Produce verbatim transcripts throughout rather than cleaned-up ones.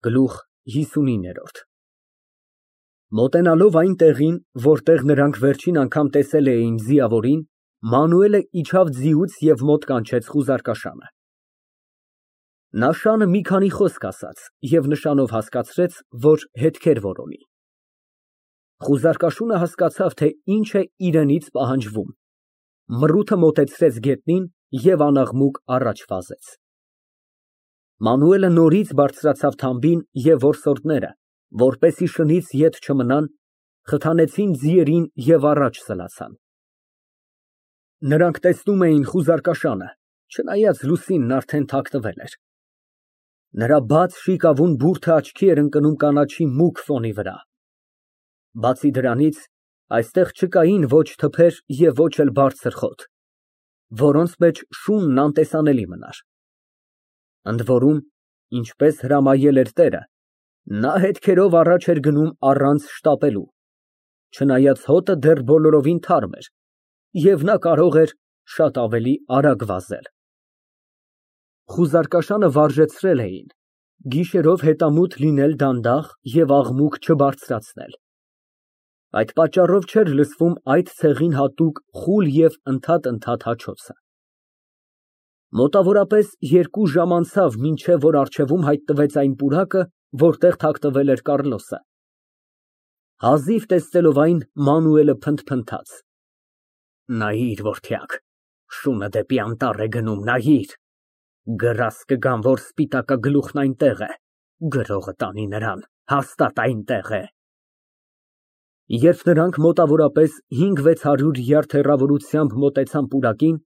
Գլուխ հիսունինը Մոտենալով այն տեղին, որտեղ նրանք վերջին անգամ տեսել էին ձիավորին, Մանուելը իջավ ձիուց և մոտ կանչեց խուզարկաշանը։ Նա շանը մի քանի խոսք ասաց և նշանով հասկացրեց, որ հետքեր որոնի։ Խուզարկաշունը հասկացավ, թե ինչ է իրենից պահանջվում, մռութը մոտեցրեց գետնին և անաղմուկ առաջ վազեց։ Մանուելը նորից բարձրացավ թամբին և որսորդները, որպեսզի շնից ետ չմնան, խթանեցին ձիերին և առաջ սլացան։ Նրանք տեսնում էին խուզարկաշանը, չնայած լուսինն արդեն թաքցվել էր։ Նրա բաց շիկավուն բուրդը աչքի էր ընկնում կանաչի մուգ ֆոնի վրա։ Բացի դրանից, այստեղ չկային ոչ թփեր և ոչ էլ բարձր խոտ, որոնց մեջ շունն անտեսանելի մնար։ Ընդ որում, ինչպես հրամայել էր տերը, նա հետքերով առաջ էր գնում առանց շտապելու, չնայած հոտը դեռ բոլորովին թարմ էր, և նա կարող էր շատ ավելի արագ վազել։ Խուզարկաշանը վարժեցրել էին, գիշերով հետամուտ լինել դանդաղ և աղմուկ չբարձրացնել։ Այդ պատճառով չէր լսվում այդ ցեղին հատուկ խուլ և ընդհատ֊ընդհատ հաչոցը։ Մոտավորապես երկու ժամ անցավ, մինչև որ առջևում հայտնվեց այն պուրակը, որտեղ թաքնվել էր Կառլոսը։ Հազիվ տեսնելով այն, Մանուելը փնթփնթաց. Նայիր, որդյակ, շունը դեպի անտառ է գնում, նայիր, գրազ կգան, որ սպիտակագլուխն այնտեղ է, գրողը տանի նրան, հաստատ այնտեղ է։ Երբ նրանք մոտավորապես հինգ֊վեց հարյուր յարդ հեռավորությամբ մոտեցան պուրակին,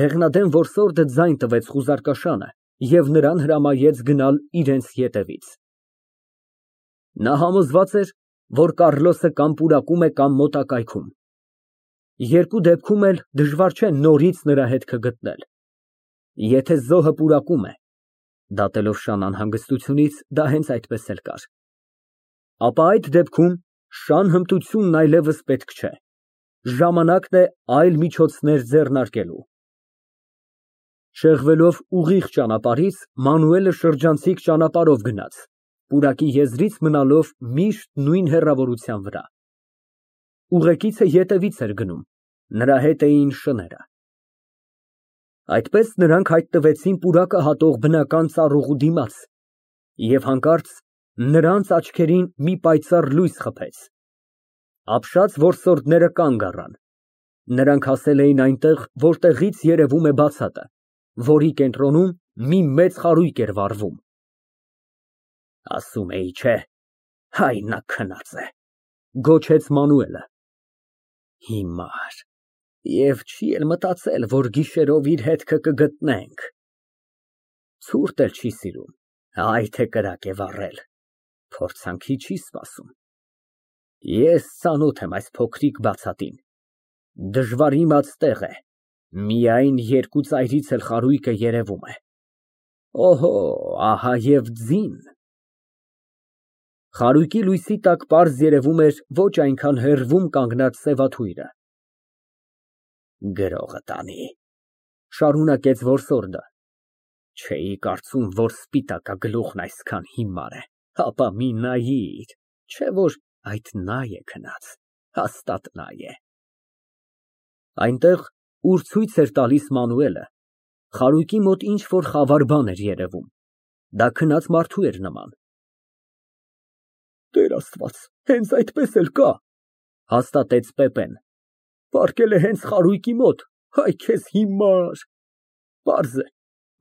դեղնադեմ որսորդը ձայն տվեց խուզարկաշանը և նրան հրամայեց գնալ իրենց ետևից։ Նա համոզված էր, որ Կառլոսը կամ պուրակում է, կամ մոտակայքում։ Երկու դեպքում էլ դժվար չէ նորից նրա հետքը գտնել։ Եթե զոհը պուրակում է (դատելով շան անհանգստությունից, դա հենց այդպես էլ կար), ապա այդ դեպքում շան հմտությունն այլևս պետք չէ, ժամանակն է այլ միջոցներ ձեռնարկելու։ Շեղվելով ուղիղ ճանապարհից, Մանուելը շրջանցիկ ճանապարհով գնաց, պուրակի եզրից մնալով միշտ նույն հեռավորության վրա։ Ուղեկիցը ետևից էր գնում, նրա հետ էին շները։ Այդպես նրանք հայտնվեցին պուրակը հատող բնական ծառուղու դիմաց, և հանկարծ նրանց աչքերին մի պայծառ լույս խփեց։ Ապշած որսորդները կանգ առան։ Նրանք հասել էին այնտեղ, որտեղից երևում է բացատը, որի կենտրոնում մի մեծ խարույկ էր վառվում։ Ասում էի, չէ, հայ նա քնած է, գոչեց Մանուելը։ Հիմար, և չի էլ մտածել, որ գիշերով իր հետքը կգտնենք։ Ցուրտ էլ չի սիրում, այ թե կրակ է վառել, փորձանքի չի սպասում։ Ես ծանոթ եմ այս փոքրիկ բացատին, դժվար իմաց տեղ է, միայն երկու ծայրից էլ խարույկը երևում է։ Օհո, ահա և ձին։ Խարույկի լույսի տակ պարզ երևում էր ոչ այնքան հեռվում կանգնած սևաթույրը։ Գրողը տանի, շարունակեց որսորդը, չէի կարծում, որ սպիտակագլուխն այսքան հիմար է, հապա մի նայիր, չէ որ այդ նա է քնած, հաստատ նա է։ Այնտեղ, ուր ցույց էր տալիս Մանուելը, խարույկի մոտ ինչ֊որ խավար բան էր երևում, դա քնած մարդու էր նման։ Տեր Աստված, հենց այդպես էլ կա, հաստատեց Պեպեն, պառկել է հենց խարույկի մոտ, այ քեզ հիմար, պարզ է,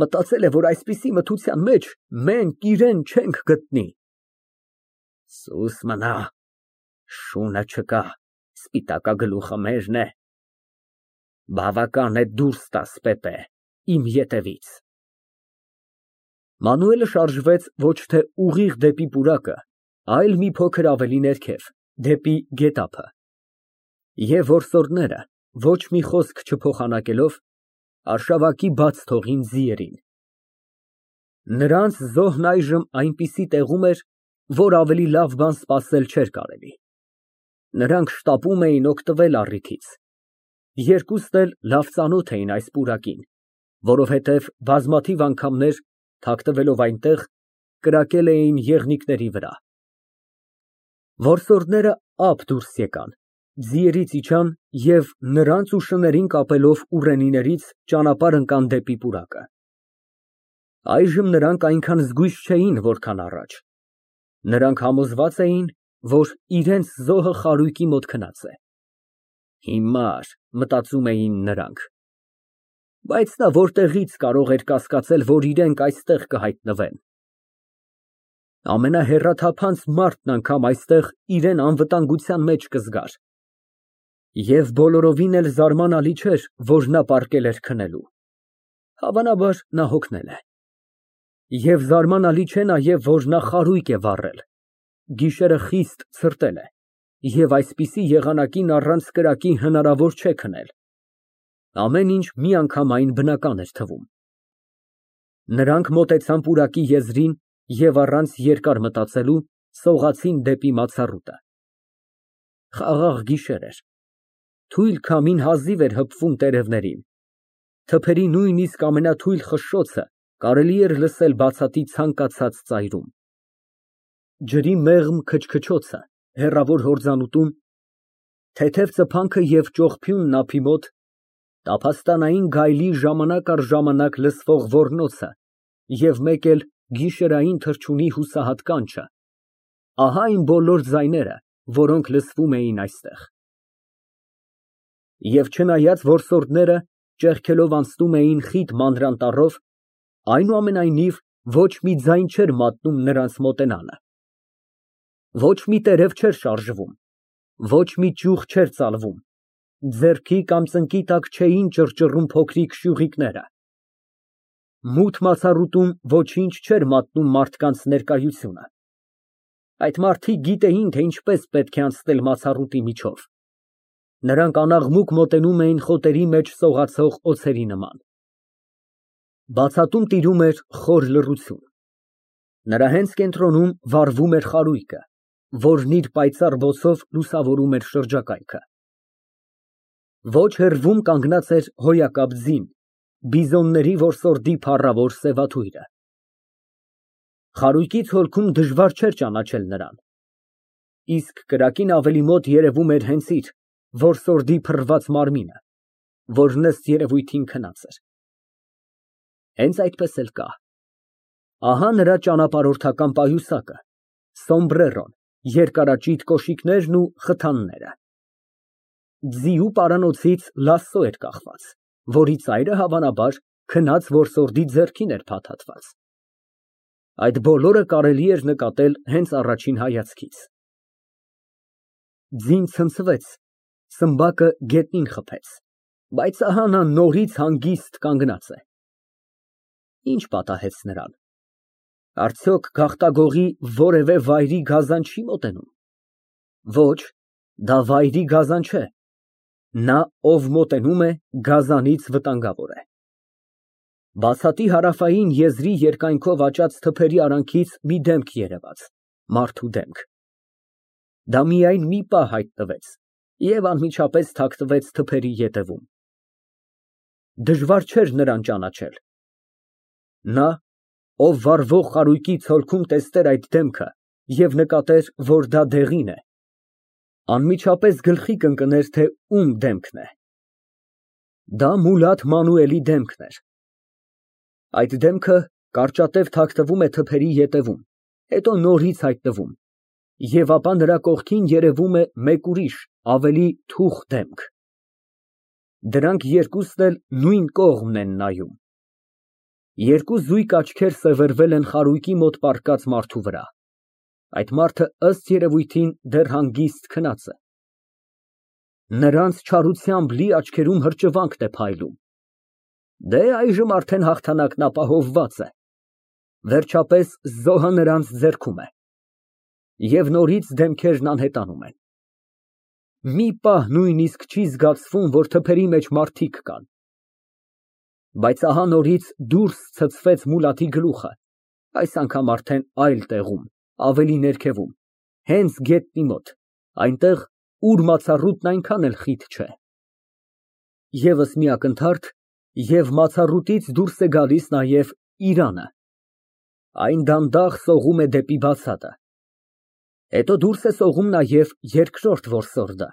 մտածել է, որ այսպիսի մթության մեջ մենք իրան չենք գտնի։ Սուս մնա, շունը չկա, սպիտակագլուխը մերն է։ Բավական է դուրս տաս, Պեպե, իմ ետևից։ Մանուելը շարժվեց ոչ թե ուղիղ դեպի պուրակը, այլ մի փոքր ավելի ներքև, դեպի գետափը։ Եվ որսորդները, ոչ մի խոսք չփոխանակելով, արշավակի բաց թողին ձիերին։ Նրանց զոհն այժմ այնպիսի տեղում էր, որ ավելի լավ բան սպասել չէր կարելի։ Նրանք շտապում էին օգտվել առիթից։ Երկուսն էլ լավ ծանոթ էին այս պուրակին, որովհետև բազմաթիվ անգամներ, թաքնվելով այնտեղ, կրակել էին եղնիկների վրա։ Որսորդները ափ դուրս եկան, ձիերից իջան և նրանց ու շներին կապելով ուռենիներից ճանապարհ ընկան դեպի պուրակը։ Այժմ նրանք այնքան զգույշ չէին, որքան առաջ։ Նրանք համոզված էին, որ իրենց զոհը խարույկի մոտ քնած է։ Հիմար, մտածում էին նրանք։ Բայց նա որտեղից կարող էր կասկածել, որ իրենք այստեղ կհայտնվեն։ Ամենահեռաթափանց մարդն անգամ այստեղ իրան անվտանգության մեջ կզգար։ Եվ բոլորովին էլ զարմանալի չէր, որ նա պառկել էր քնելու։ Հավանաբար նա հոգնել է։ Եվ զարմանալի չէ նաև, որ նա խարույկ է վառել, գիշերը խիստ ցրտել է, և այսպիսի եղանակին առանց կրակի հնարավոր չէ քնել։ Ամեն ինչ միանգամայն բնական էր թվում։ Նրանք մոտեցան պուրակի եզրին և առանց երկար մտածելու սողացին դեպի մացառուտը։ Խաղաղ գիշեր էր։ Թույլ քամին հազիվ էր հպվում տերևներին։ Թփերի նույնիսկ ամենաթույլ խշշոցը կարելի էր լսել բացատի ցանկացած ծայրում։ Ջրի մեղմ քչքչոցը հեռավոր հորձանուտում, թեթև ծփանքը և ճողփյունն ափի մոտ, տափաստանային գայլի ժամանակ առ ժամանակ լսվող ոռնոցը և մեկ էլ գիշերային թռչունի հուսահատ կանչը, ահա այն բոլոր ձայները, որոնք լսվում էին այստեղ։ Եվ չնայած որսորդները ճեղքելով անցնում էին խիտ մանրանտառով, այնուամենայնիվ ոչ մի ձայն չէր մատնում նրանց մոտենալը։ Ոչ մի տերև չէր շարժվում, ոչ մի ճյուղ չէր ծալվում, ձեռքի կամ ծնկի տակ չէին ճռճռում փոքրիկ շյուղիկները։ Մութ մացառուտում ոչինչ չէր մատնում մարդկանց ներկայությունը։ Այդ մարդիկ գիտեին, թե ինչպես պետք է անցնել մացառուտի միջով։ Նրանք անաղմուկ մոտենում էին խոտերի մեջ սողացող օձերի նման։ Բացատում տիրում էր խոր լռություն։ Նրա հենց կենտրոնում վառվում էր խարույկը, որն իր պայծառ բոցով լուսավորում էր շրջակայքը։ Ոչ հեռվում կանգնած էր հոյակապ ձին, բիզոնների որսորդի փառավոր սևաթույրը։ Խարույկի ցոլքում դժվար չէր ճանաչել նրան։ Իսկ կրակին ավելի մոտ երևում էր հենց իր, որսորդի փռված մարմինը, որն ըստ երևույթին քնած էր։ Հենց այդպես էլ կա։ Ահա նրա ճանապարհորդական պայուսակը, սոմբրերոն, երկարաճիտ կոշիկներն ու խթանները։ Ձիու պարանոցից լասո էր կախված, որի ծայրը հավանաբար քնած որսորդի ձեռքին էր փաթաթված։ Այդ բոլորը կարելի էր նկատել հենց առաջին հայացքից։ Ձին ցնցվեց, սմբակը գետնին խփեց, բայց ահա նա նորից հանգիստ կանգնած է։ Ինչ պատահեց նրան։ Արդյոք գաղտագողի որևէ վայրի գազան չի մոտենում։ Ոչ, դա վայրի գազան չէ։ Նա, ով մոտենում է, գազանից վտանգավոր է։ Բացատի հարավային եզրի երկայնքով աճած թփերի արանքից մի դեմք երևաց, մարդու դեմք։ Դա միայն մի պահ հայտնվեց և անմիջապես թաքնվեց թփերի ետևում։ Դժվար չէր նրան ճանաչել։ Նա, ով վառվող խարույկի ցոլքում տեսներ այդ դեմքը և նկատեր, որ դա դեղին է, անմիջապես գլխի կընկներ, թե ում դեմքն է։ Դա Մուլադ Մանուելի դեմքն էր։ Այդ դեմքը կարճատև թաքնվում է թփերի ետևում, հետո նորից հայտնվում, և ապա նրա կողքին երևում է մեկ ուրիշ, ավելի թուխ դեմք։ Դրանք երկուսն էլ նույն կողմն են նայում։ Երկու զույգ աչքեր սևեռվել են խարույկի մոտ պառկած մարդու վրա։ Այդ մարդը ըստ երևույթին դեռ հանգիստ քնած է։ Նրանց չարությամբ լի աչքերում հրճվանքն է փայլում։ Դե, այժմ արդեն հաղթանակն ապահովված է։ Վերջապես զոհը նրանց ձեռքում է։ Եվ նորից դեմքերն անհետանում են։ Մի պահ նույնիսկ չի զգացվում, որ թփերի մեջ մարդիկ կան։ Բայց ահա նորից դուրս ցցվեց Մուլադի գլուխը, այս անգամ արդեն այլ տեղում, ավելի ներքևում, հենց գետնի մոտ, այնտեղ, ուր մացառուտն այնքան էլ խիտ չէ։ Եվս մի ակնթարթ, և մացառուտից դուրս է գալիս նաև Իրանը։ Այն դանդաղ սողում է դեպի բացատը, հետո դուրս է սողում նաև երկրորդ որսորդը։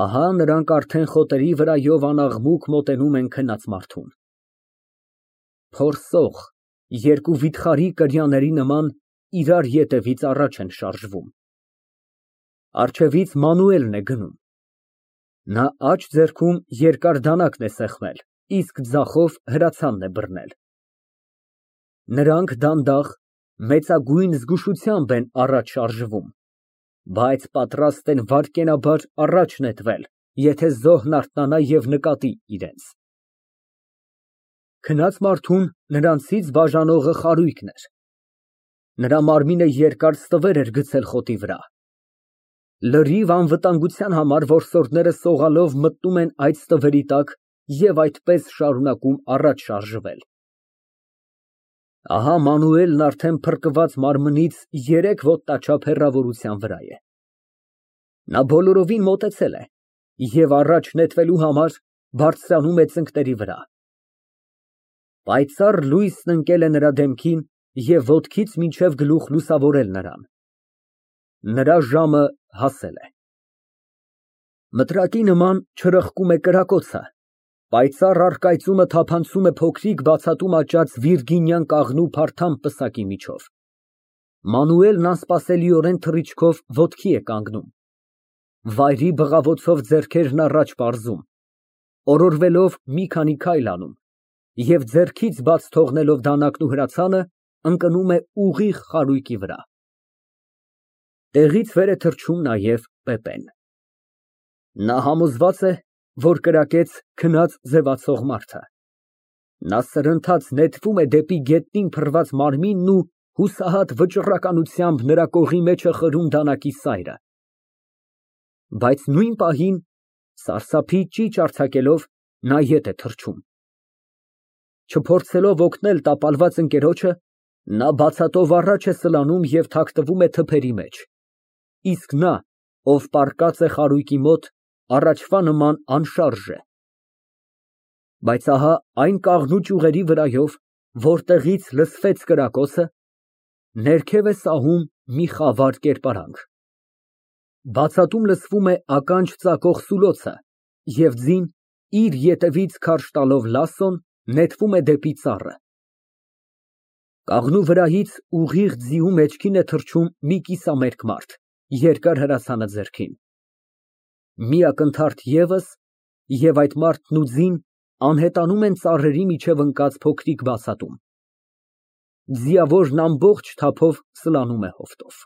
Ահա նրանք արդեն խոտերի վրայով անաղմուկ մոտենում են քնած մարդուն։ Փորսող երկու վիթխարի կրյաների նման իրար ետևից առաջ են շարժվում։ Առջևից Մանուելն է գնում։ Նա աջ ձեռքում երկար դանակն է սեղմել, իսկ ձախով հրացանն է բռնել։ Նրանք դանդաղ, մեծագույն զգուշությամբ են առաջ շարժվում, բայց պատրաստ են վայրկենաբար առաջ նետվել, եթե զոհն արթնանա և նկատի իրենց։ Քնած մարդուն նրանցից բաժանողը խարույկն էր։ Նրա մարմինը երկար ստվեր էր գցել խոտի վրա։ Լրիվ անվտանգության համար որսորդները սողալով մտնում են այդ ստվերի տակ և այդպես շարունակում առաջ շարժվել։ Ահա Մանուելն արդեն փրկված մարմնից երեք ոտնաչափ հեռավորության վրա է։ Նա բոլորովին մոտեցել է և առաջ նետվելու համար բարձրանում է ծնկների վրա։ Պայծառ լույսն ընկել է նրա դեմքին և ոտքից մինչև գլուխ լուսավորել նրան։ Նրա ժամը հասել է։ Մտրակի նման չրպկում է կրակոցը, պայծառ առկայծումը թափանցում է փոքրիկ բացատում աճած վիրգինյան կաղնու փարթամ պսակի միջով։ Մանուելն անսպասելիորեն թռիչքով ոտքի է կանգնում, վայրի բղավոցով ձեռքերն առաջ պարզում, օրորվելով մի քանի քայլ անում և ձեռքից բաց թողնելով դանակն ու հրացանը, ընկնում է ուղիղ խարույկի վրա։ Տեղից վեր է թռչում նաև Պեպեն։ Նա համոզված է, որ կրակեց քնած ձևացող մարդը։ Նա սրընթաց նետվում է դեպի գետնին փռված մարմինն ու հուսահատ վճռականությամբ նրա կողի մեջ է խրում դանակի սայրը։ Բայց նույն պահին, սարսափի ճիչ արձակելով, նա ետ է թռչում։ Չփորձելով օգնել տապալված ընկերոջը, նա բացատով առաջ է սլանում և թաքնվում է թփերի մեջ, իսկ նա, ով պառկած է խարույկի մոտ, առաջվա նման անշարժ է։ Բայց ահա այն կաղնու ճյուղերի վրայով, որտեղից լսվեց կրակոցը, ներքև է սահում մի խավար կերպարանք։ Բացատում լսվում է ականջ ծակող սուլոցը, և ձին, իր ետևից քարշ տալով լասոն, նետվում է դեպի ծառը։ Կաղնու վրայից ուղիղ ձիու մեջքին է թռչում մի կիսամերկ մարդ, երկար հրացանը ձեռքին։ Մի ակնթարթ ևս, և այդ մարդն ու ձին անհետանում են ծառերի միջև ընկած փոքրիկ բացատում։ Ձիավորն ամբողջ թափով սլանում է հովտով։